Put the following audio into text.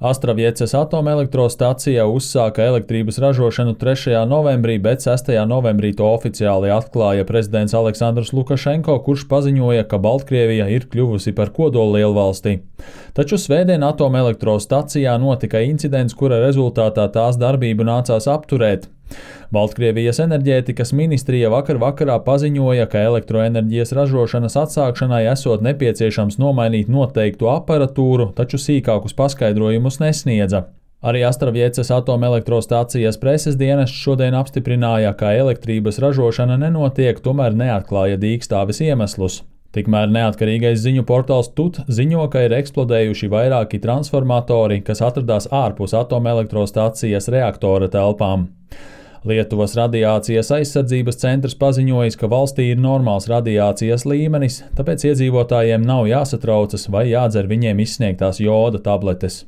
Astravieces atomelektrostacijā uzsāka elektrības ražošanu 3. novembrī, bet 6. novembrī to oficiāli atklāja prezidents Aleksandrs Lukašenko, kurš paziņoja, ka Baltkrievija ir kļuvusi par kodollielvalsti. Taču svētdien atomelektrostacijā notika incidents, kura rezultātā tās darbību nācās apturēt. Baltkrievijas enerģētikas ministrija vakar vakarā paziņoja, ka elektroenerģijas ražošanas atsākšanai esot nepieciešams nomainīt noteiktu aparatūru, taču sīkākus paskaidrojumus nesniedza. Arī Astravieces atomelektrostacijas preses dienests šodien apstiprināja, ka elektrības ražošana nenotiek, tomēr neatklāja dīkstāves iemeslus. Tikmēr neatkarīgais ziņu portāls TUT ziņo, ka ir eksplodējuši vairāki transformatori, kas atradās ārpus atomelektrostacijas reaktora telpām. Lietuvas radiācijas aizsardzības centrs paziņojis, ka valstī ir normāls radiācijas līmenis, tāpēc iedzīvotājiem nav jāsatraucas vai jādzer viņiem izsniegtās joda tabletes.